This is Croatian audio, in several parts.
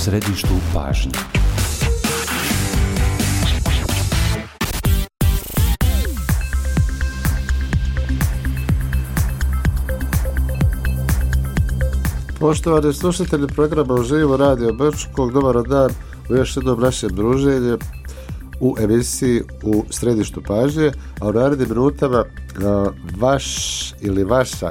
središtu pažnje. Poštovani slušatelji programa Uživo Radio Brčkog, dobar dan u još jednom našem druženju u emisiji u središtu pažnje, a u narednim minutama vaš ili vaša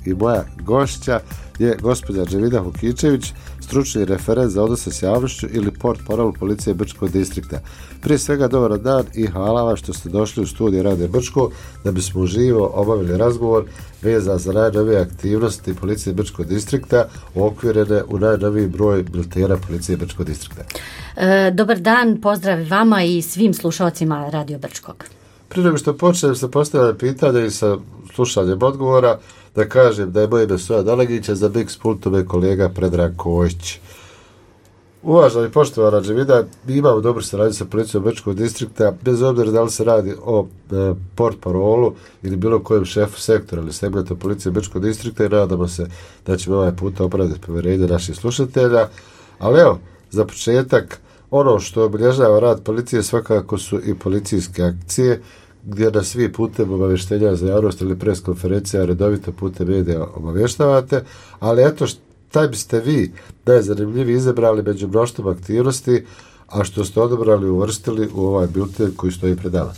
i moja gošća je gospođa Džemida Hukičević, stručni referent za odnose s javnošću ili portparol policije Brčkog distrikta. Prije svega dobar dan i hvala vam što ste došli u studiju Radio Brčko da bismo uživo obavili razgovor vezan za najnovije aktivnosti policije Brčkog distrikta uokvirene u najnoviji broj biltena policije Brčkog distrikta. Dobar dan, pozdrav vama i svim slušalcima Radio Brčkog. Prije nego što počnem sa postavljanjem pitanja i sa slušanjem odgovora, da kažem da je moje ime Stojan Dalegić, za Mix pultom je kolega Predrag Kojić. Uvažena i poštovana Džemida, mi imamo dobro saradnju sa policijom Brčkog distrikta, bez obzira da li se radi o portparolu ili bilo kojem šefu sektora ili segmenta policije Brčkog distrikta, i nadamo se da ćemo ovaj put opravdati povjerenje naših slušatelja. Ali evo, za početak, ono što obilježava rad policije svakako su i policijske akcije, gdje na svi putem obavještenja za javnost ili pres konferencija redovito putem medija obavještavate, ali eto šta biste vi najzanimljiviji izabrali među mnoštvom aktivnosti, a što ste odabrali i uvrstili u ovaj bilten koji stoji pred nama?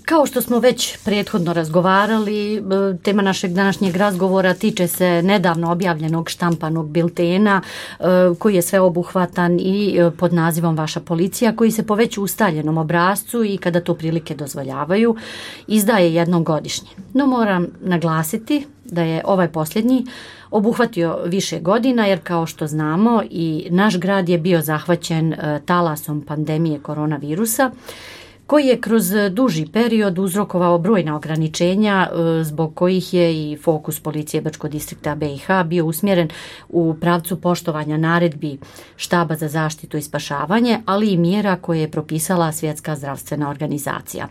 Kao što smo već prethodno razgovarali, tema našeg današnjeg razgovora tiče se nedavno objavljenog štampanog biltena koji je sveobuhvatan i pod nazivom Vaša policija, koji se po već ustaljenom obrascu i kada to prilike dozvoljavaju izdaje jednom godišnje. No moram naglasiti da je ovaj posljednji obuhvatio više godina, jer kao što znamo i naš grad je bio zahvaćen talasom pandemije koronavirusa, koji je kroz duži period uzrokovao brojna ograničenja zbog kojih je i fokus policije Brčkog distrikta BiH bio usmjeren u pravcu poštovanja naredbi Štaba za zaštitu i spašavanje, ali i mjera koje je propisala Svjetska zdravstvena organizacija.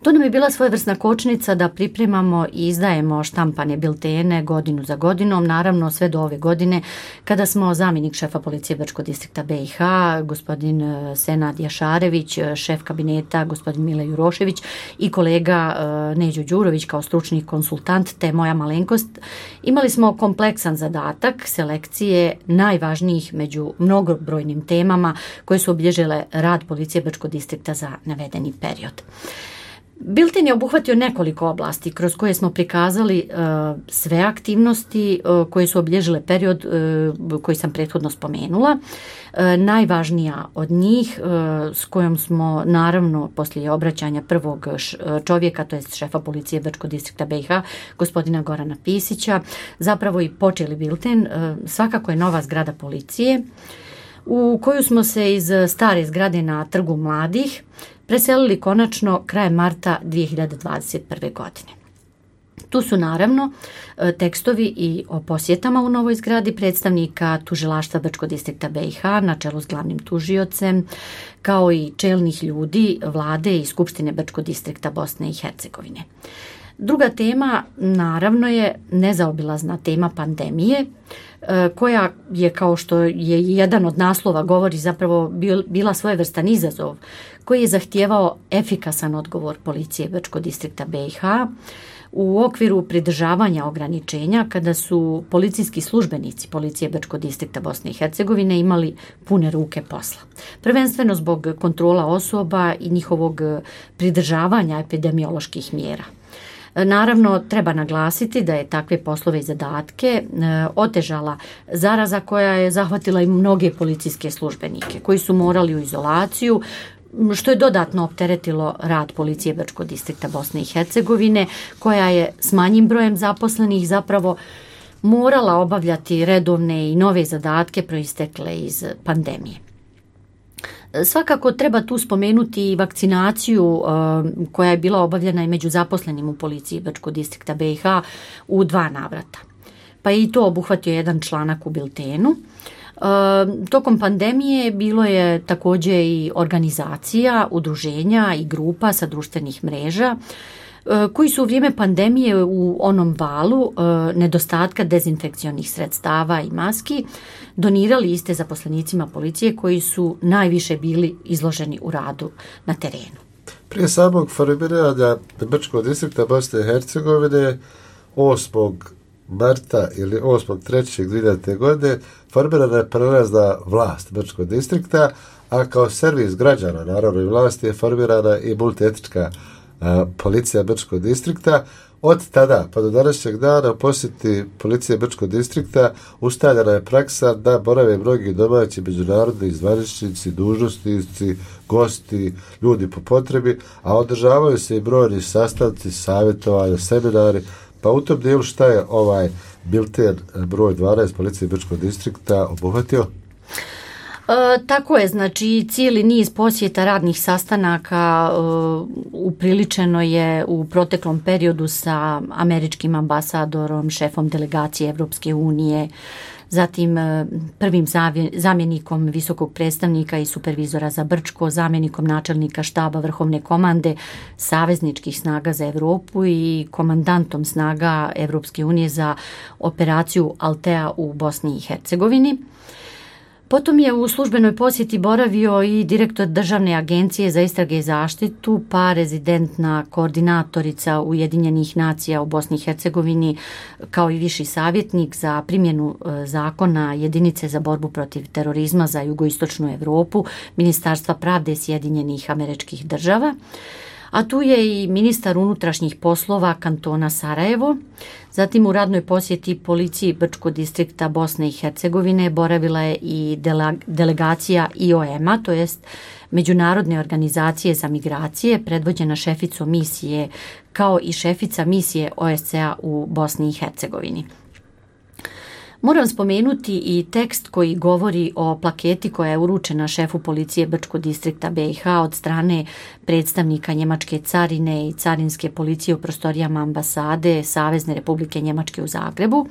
To nam je bila svojevrsna kočnica da pripremamo i izdajemo štampane biltene godinu za godinom, naravno sve do ove godine kada smo zamjenik šefa policije Brčkog distrikta BiH, gospodin Senad Jašarević, šef kabineta gospodin Mile Jurošević i kolega Neđo Đurović kao stručni konsultant te moja malenkost, imali smo kompleksan zadatak selekcije najvažnijih među mnogobrojnim temama koje su obilježile rad policije Brčkog distrikta za navedeni period. Bilten je obuhvatio nekoliko oblasti kroz koje smo prikazali sve aktivnosti koje su obilježile period koji sam prethodno spomenula. Najvažnija od njih s kojom smo naravno poslije obraćanja prvog čovjeka, to je šefa policije Brčkog distrikta BiH, gospodina Gorana Pisića, zapravo i počeli bilten, svakako je nova zgrada policije u koju smo se iz stare zgrade na Trgu mladih preselili konačno krajem marta 2021. godine. Tu su naravno tekstovi i o posjetama u novoj zgradi predstavnika tužilaštva Brčkog distrikta BiH na čelu s glavnim tužiocem, kao i čelnih ljudi vlade i Skupštine Brčkog distrikta Bosne i Hercegovine. Druga tema naravno je nezaobilazna tema pandemije, koja je, kao što je jedan od naslova govori, zapravo bila svojevrstan izazov koji je zahtijevao efikasan odgovor policije Brčkog distrikta BiH u okviru pridržavanja ograničenja kada su policijski službenici policije Brčkog distrikta Bosne i Hercegovine imali pune ruke posla. Prvenstveno zbog kontrola osoba i njihovog pridržavanja epidemioloških mjera. Naravno, treba naglasiti da je takve poslove i zadatke otežala zaraza koja je zahvatila i mnoge policijske službenike koji su morali u izolaciju, što je dodatno opteretilo rad policije Brčkog distrikta Bosne i Hercegovine, koja je s manjim brojem zaposlenih zapravo morala obavljati redovne i nove zadatke proistekle iz pandemije. Svakako treba tu spomenuti i vakcinaciju koja je bila obavljena i među zaposlenim u policiji Brčkog distrikta BiH u 2 navrata. Pa i to obuhvatio jedan članak u biltenu. Tokom pandemije bilo je također i organizacija, udruženja i grupa sa društvenih mreža koji su u vrijeme pandemije u onom valu nedostatka dezinfekcionih sredstava i maski donirali iste zaposlenicima policije koji su najviše bili izloženi u radu na terenu. Prije samog formiranja Brčkog distrikta Bosne i Hercegovine 8. marta ili 8.3.2000. godine formirana je prelazna vlast Brčkog distrikta, a kao servis građana narodnoj vlasti je formirana i multietnička policija Brčkog distrikta. Od tada pa do današnjeg dana u posjeti policije Brčkog distrikta ustaljena je praksa da borave mnogi domaći međunarodni zvaničnici, dužnosnici, gosti, ljudi po potrebi, a održavaju se i brojni sastanci, savjetovanja, seminari. Pa u tom dijelu šta je ovaj bilten broj 12 policije Brčkog distrikta obuhvatio? Tako je, znači cijeli niz posjeta radnih sastanaka upriličeno je u proteklom periodu sa američkim ambasadorom, šefom delegacije Evropske unije, zatim prvim zamjenikom visokog predstavnika i supervizora za Brčko, zamjenikom načelnika štaba Vrhovne komande savezničkih snaga za Europu i komandantom snaga Evropske unije za operaciju Altea u Bosni i Hercegovini. Potom je u službenoj posjeti boravio i direktor Državne agencije za istrage i zaštitu, pa rezidentna koordinatorica Ujedinjenih nacija u Bosni i Hercegovini, kao i viši savjetnik za primjenu zakona jedinice za borbu protiv terorizma za jugoistočnu Europu, Ministarstva pravde Sjedinjenih Američkih Država. A tu je i ministar unutrašnjih poslova kantona Sarajevo. Zatim u radnoj posjeti policiji Brčkog distrikta Bosne i Hercegovine boravila je i delegacija IOM-a, to jest Međunarodne organizacije za migracije, predvođena šeficom misije, kao i šefica misije OSCE-a u Bosni i Hercegovini. Moram spomenuti i tekst koji govori o plaketi koja je uručena šefu policije Brčkog distrikta BiH od strane predstavnika Njemačke carine i carinske policije u prostorijama ambasade Savezne Republike Njemačke u Zagrebu,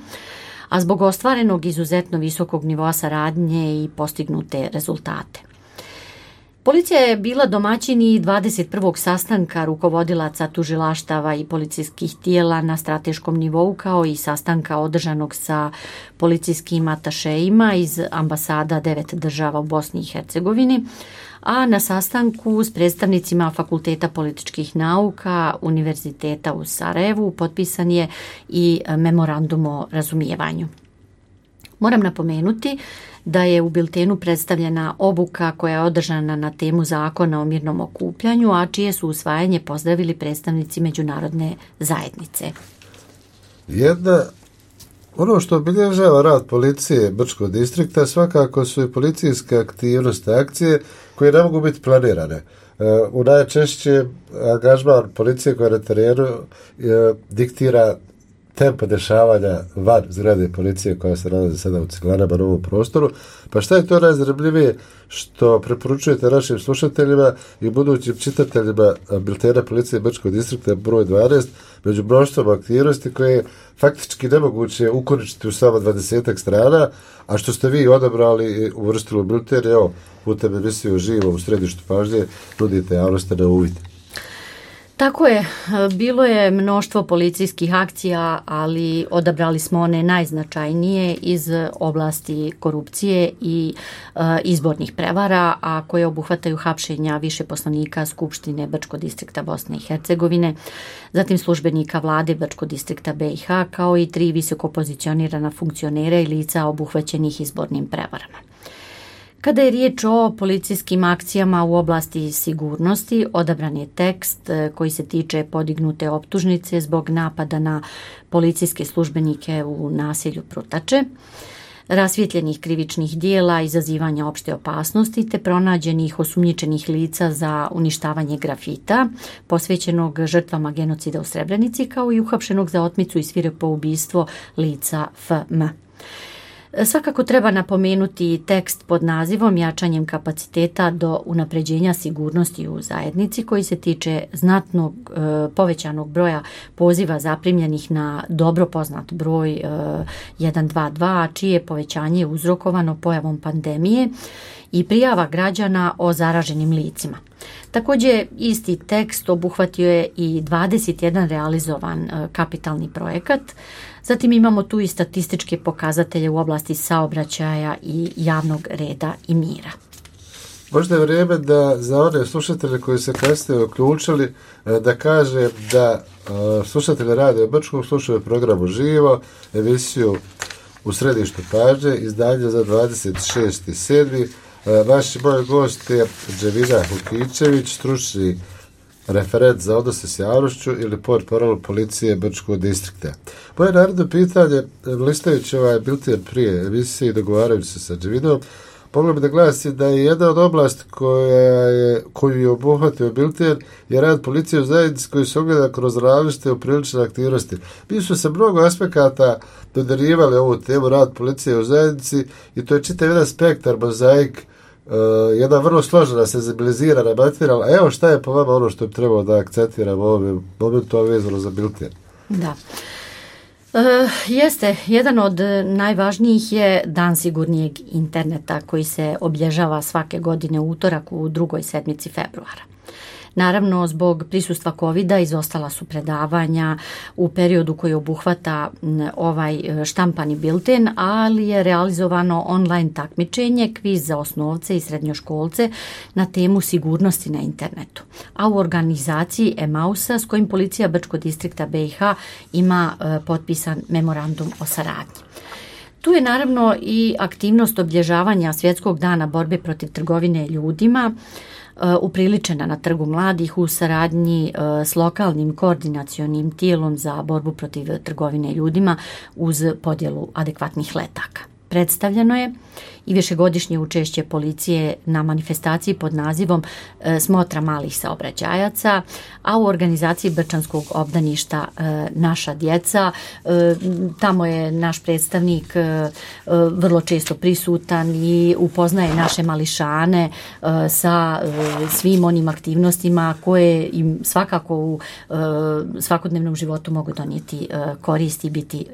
a zbog ostvarenog izuzetno visokog nivoa saradnje i postignute rezultate. Policija je bila domaćin i 21. sastanka rukovodilaca tužilaštava i policijskih tijela na strateškom nivou, kao i sastanka održanog sa policijskim atašejima iz ambasada 9 država u Bosni i Hercegovini, a na sastanku s predstavnicima Fakulteta političkih nauka Univerziteta u Sarajevu potpisan je i memorandum o razumijevanju. Moram napomenuti da je u biltenu predstavljena obuka koja je održana na temu zakona o mirnom okupljanju, a čije su usvajanje pozdravili predstavnici međunarodne zajednice. Ono što obilježava rad policije Brčkog distrikta svakako su i policijske aktivnosti, akcije koje ne mogu biti planirane. U najčešće angažman policije koja na terenu diktira tempo dešavanja van zgrade policije koja se nalazi sada u Ciglanama na ovom prostoru. Pa šta je to najzanimljivije što preporučujete našim slušateljima i budućim čitateljima biltena policije Brčkog distrikta broj 12 među mnoštvom aktivnosti koje je faktički nemoguće ukoričiti u samo 20 strana, a što ste vi odabrali i uvrstili u bilten, evo, putem emisiju živo u središtu pažnje nudite javnosti na uvid. Tako je, bilo je mnoštvo policijskih akcija, ali odabrali smo one najznačajnije iz oblasti korupcije i izbornih prevara, a koje obuhvataju hapšenja više poslanika Skupštine Brčkog distrikta Bosne i Hercegovine, zatim službenika vlade Brčkog distrikta BiH, kao i 3 visoko pozicionirana funkcionera i lica obuhvaćenih izbornim prevarama. Kada je riječ o policijskim akcijama u oblasti sigurnosti, odabran je tekst koji se tiče podignute optužnice zbog napada na policijske službenike u naselju Prutače, rasvijetljenih krivičnih dijela, izazivanja opšte opasnosti te pronađenih osumnjičenih lica za uništavanje grafita, posvećenog žrtvama genocida u Srebrenici, kao i uhapšenog za otmicu i svirepo ubistvo lica FM. Svakako treba napomenuti tekst pod nazivom Jačanjem kapaciteta do unapređenja sigurnosti u zajednici, koji se tiče znatnog povećanog broja poziva zaprimljenih na dobro poznat broj 122, čije povećanje je uzrokovano pojavom pandemije i prijava građana o zaraženim licima. Također isti tekst obuhvatio je i 21 realizovan kapitalni projekat. Zatim imamo tu i statističke pokazatelje u oblasti saobraćaja i javnog reda i mira. Možda je vrijeme da za one slušatelje koji se kasnije uključili da kaže da slušatelji Radio Brčkog slušaju programu Živo, emisiju U središtu pažnje, izdanje za 26.7. Naš moj gost je Džemina Hukićević, stručni referent za odnose s javnošću ili portparol policije Brčkog distrikta. Moje naredno pitanje, listajući ovaj bilten prije emisije i dogovarajući se sa Džeminom, moglo bi da glasi da je jedna od oblasti koju je obuhvatio bilten je rad policije u zajednici koji se ogleda kroz različite uprilične aktivnosti. Mi su se mnogo aspekata dodarivali ovu temu rad policije u zajednici i to je čitav jedan spektar, mozaik, jedna vrlo složena, senzibilizirana materijal. A evo šta je po vama ono što bi trebalo da akcentiramo u ovom momentu vezano za bilten? Da. Jeste, jedan od najvažnijih je Dan sigurnijeg interneta koji se obilježava svake godine u utorak u drugoj sedmici februara. Naravno, zbog prisustva covida izostala su predavanja u periodu koji obuhvata ovaj štampani bilten, ali je realizovano online takmičenje, kviz za osnovce i srednjoškolce na temu sigurnosti na internetu. A u organizaciji Emausa s kojim policija Brčkog distrikta BiH ima potpisan memorandum o saradnji. Tu je naravno i aktivnost obilježavanja Svjetskog dana borbe protiv trgovine ljudima, upriličena na Trgu mladih u saradnji s lokalnim koordinacionim tijelom za borbu protiv trgovine ljudima uz podjelu adekvatnih letaka. Predstavljeno je i višegodišnje učešće policije na manifestaciji pod nazivom Smotra malih saobraćajaca, a u organizaciji Brčanskog obdaništa Naša djeca. Tamo je naš predstavnik vrlo često prisutan i upoznaje naše mališane sa svim onim aktivnostima koje im svakako u svakodnevnom životu mogu donijeti koristi i biti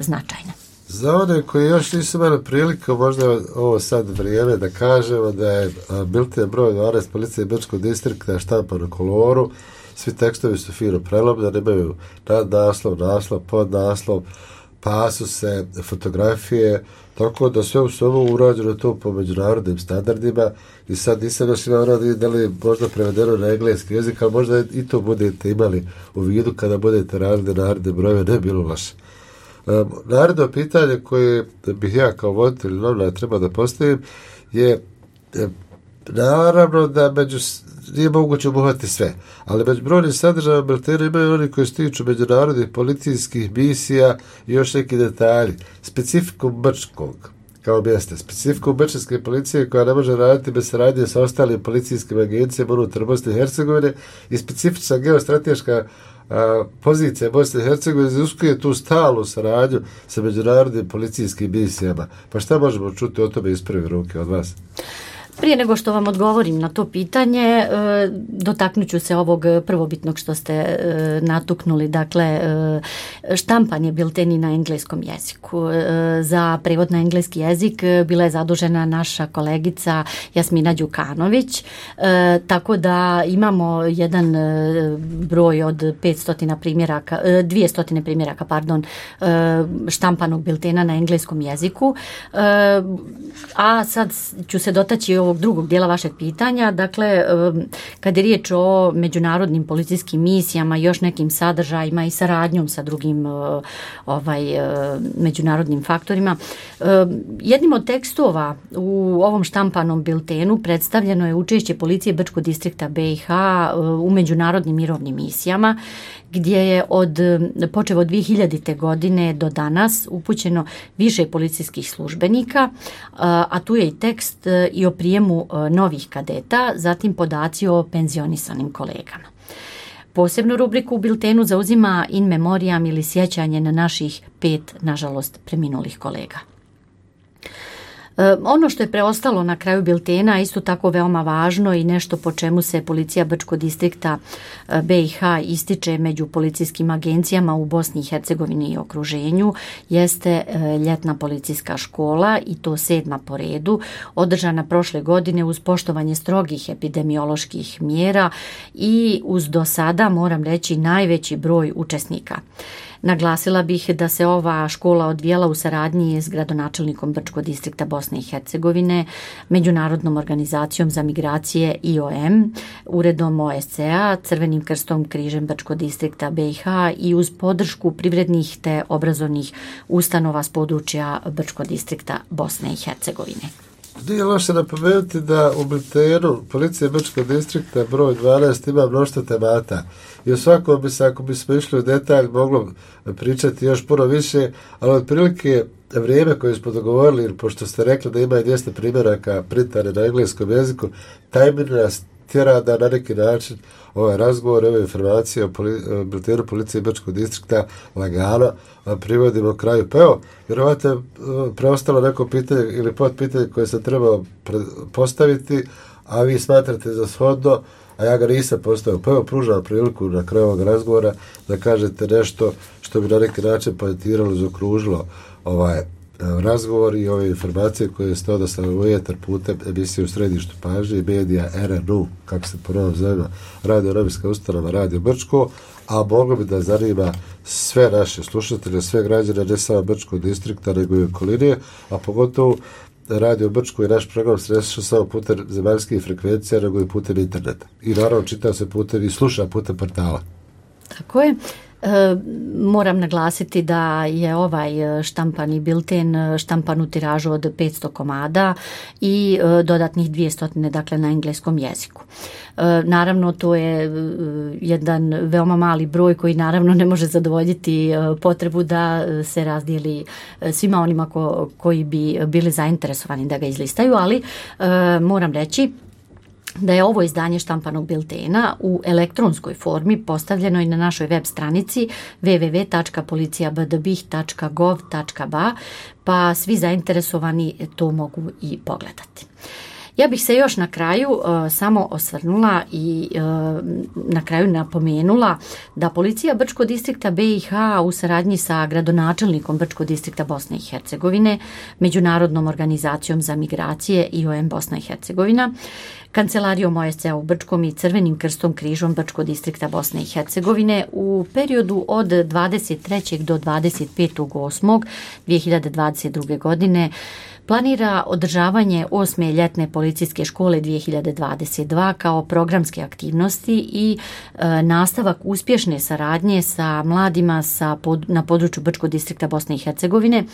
značajne. Za one koji još nisu imali priliku, možda je ovo sad vrijeme da kažemo da je bilten broj 12 policije Brčkog distrikta štampan u koloru, svi tekstovi su fino prelomljeni, imaju naslov, podnaslov, pasuse, fotografije, tako da sve u sobu urađeno to po međunarodnim standardima i sad nisam još imao da li možda prevedeno na engleski jezik, ali možda i to budete imali u vidu kada budete radili naredne brojeve, ne bilo loše. Naredno pitanje koje bih ja kao voditelj novina treba da postavim je naravno da nije moguće obuhvatiti sve, ali među brojnim sadržajima biltena imaju oni koji se tiču međunarodnih policijskih misija i još neki detalji. Specifikum Brčkog kao mjesta, specifikum Brčanske policije koja ne može raditi bez saradnje sa ostalim policijskim agencijama unutar Bosne i Hercegovine i specifična geostrateška pozicija Bosne i Hercegovine iziskuje tu stalnu saradnju sa međunarodnim policijskim misijama. Pa šta možemo čuti o tome iz prve ruke od vas? Prije nego što vam odgovorim na to pitanje, dotaknut ću se ovog prvobitnog što ste natuknuli, dakle štampanje bilteni na engleskom jeziku. Za prevod na engleski jezik bila je zadužena naša kolegica Jasmina Đukanović, tako da imamo jedan broj od 200 primjeraka štampanog biltena na engleskom jeziku. A sad ću se dotaći ovog drugog dijela vašeg pitanja. Dakle, kad je riječ o međunarodnim policijskim misijama, još nekim sadržajima i saradnjom sa drugim međunarodnim faktorima, jednim od tekstova u ovom štampanom biltenu predstavljeno je učešće policije Brčkog distrikta BiH u međunarodnim mirovnim misijama, gdje je počev od 2000. godine do danas upućeno više policijskih službenika, a tu je i tekst i o prijemu novih kadeta, zatim podaci o penzionisanim kolegama. Posebnu rubriku u biltenu zauzima in memoriam ili sjećanje na naših 5, nažalost, preminulih kolega. Ono što je preostalo na kraju biltena, isto tako veoma važno i nešto po čemu se policija Brčkog distrikta BiH ističe među policijskim agencijama u Bosni i Hercegovini i okruženju, jeste ljetna policijska škola, i to 7. po redu, održana prošle godine uz poštovanje strogih epidemioloških mjera i uz do sada, moram reći, najveći broj učesnika. Naglasila bih da se ova škola odvijala u saradnji s gradonačelnikom Brčkog distrikta Bosne i Hercegovine, Međunarodnom organizacijom za migracije IOM, Uredom OSCE-a, Crvenim krstom križem Brčkog distrikta BiH i uz podršku privrednih te obrazovnih ustanova s područja Brčkog distrikta Bosne i Hercegovine. Nije loše napomenuti da u biltenu policije Brčkog distrikta broj 12 ima mnoštvo temata. I u svakom bi se, ako bismo išli u detalj, moglo pričati još puno više, ali otprilike vrijeme koje smo dogovorili, pošto ste rekli da ima 200 primjeraka printane na engleskom jeziku, tajmir nas tjera da na neki način ovaj razgovor, ove informacije o biltenu policije Brčkog distrikta lagano privodimo kraju. Pa evo, vjerovatno preostalo neko pitanje ili podpitanje koje sam trebao postaviti, a vi smatrate za shodno, a ja ga nisam postavio. Pa evo, pružam priliku na kraju ovog razgovora da kažete nešto što bi na neki način poentiralo, zaokružilo ovaj razgovor i ove informacije koje ste odaslali u etar putem emisije U središtu pažnje i medija RNU, kako se ponovno zove, Radio Novinska ustanova Radio Brčko, a moglo bi da zanima sve naše slušatelje, sve građane, ne samo Brčkog distrikta, nego i okoline, a pogotovo Radio Brčko i naš program se ne sluša samo putem zemaljskih frekvencija, nego i putem interneta. I naravno čita se putem i sluša putem portala. Tako je. Moram naglasiti da je ovaj štampani bilten štampan u tiražu od 500 komada i dodatnih 200, dakle na engleskom jeziku. Naravno, to je jedan veoma mali broj koji naravno ne može zadovoljiti potrebu da se razdijeli svima onima koji bi bili zainteresovani da ga izlistaju, ali moram reći da je ovo izdanje štampanog biltena u elektronskoj formi postavljeno i na našoj web stranici www.policijabdbih.gov.ba, pa svi zainteresovani to mogu i pogledati. Ja bih se još na kraju samo osvrnula i na kraju napomenula da policija Brčkog distrikta BiH u saradnji sa gradonačelnikom Brčkog distrikta Bosne i Hercegovine, Međunarodnom organizacijom za migracije IOM Bosna i Hercegovina, Kancelarijom OSCE u Brčkom i Crvenim krstom križom Brčkog distrikta Bosne i Hercegovine u periodu od 23. do 25.8.2022. godine planira održavanje 8. ljetne policijske škole 2022 kao programske aktivnosti i nastavak uspješne saradnje sa mladima na području Brčkog distrikta Bosne i Hercegovine,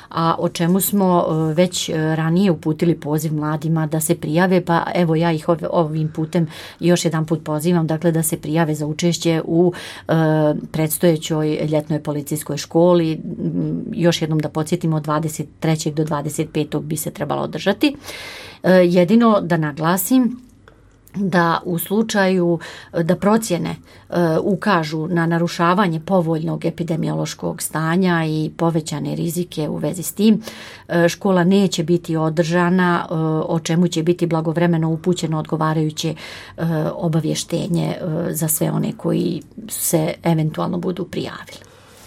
a o čemu smo već ranije uputili poziv mladima da se prijave, pa evo ja ih ovim putem još jedan put pozivam, dakle da se prijave za učešće u predstojećoj ljetnoj policijskoj školi. Još jednom da podsjetimo, od 23. do 25. bi se trebalo održati. Jedino da naglasim da u slučaju da procjene ukažu na narušavanje povoljnog epidemiološkog stanja i povećane rizike u vezi s tim, škola neće biti održana, o čemu će biti blagovremeno upućeno odgovarajuće obavještenje za sve one koji se eventualno budu prijavili.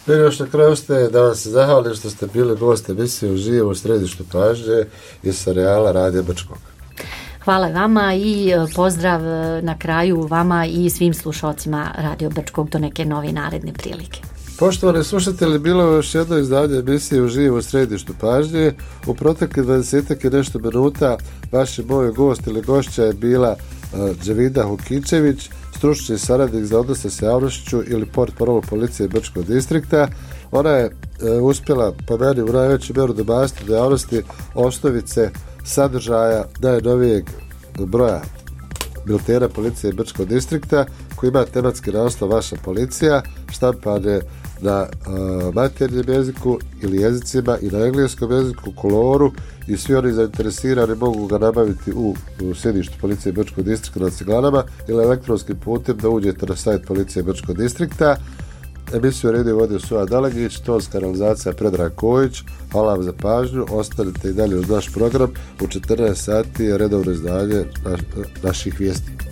Još na kraju ste da vam se zahvalim što ste bili gost emisije uživo u središtu pažnje iz serijala Radio Brčkog. Hvala vama i pozdrav na kraju vama i svim slušalcima Radio Brčkog do neke nove naredne prilike. Poštovani slušatelji, bilo je još jedno izdanje emisije uživo u središtu pažnje. U proteklih 20 i nešto minuta vaš moj gost ili gošća je bila Dževida Hukičević, stručni saradnik za odnose s javnošću ili portparol policije Brčkog distrikta. Ona je uspjela po meni u najveću mjeru dobasti do javnosti osnovice sadržaja najnovijeg broja biltena policije Brčkog distrikta koji ima tematski naslov Vaša policija, štampan je na maternjem jeziku ili jezicima i na engleskom jeziku, koloru, i svi oni zainteresirani mogu ga nabaviti u sjedištu policije Brčkog distrikta na Ciglanama ili elektronskim putem da uđete na sajt policije Brčkog distrikta. Emisiju Radio vodio Suad Dalegić, tonska kanalizacija Predrag Kojić. Hvala vam za pažnju, ostanite i dalje uz naš program. U 14 sati je redovno izdanje naših vijesti.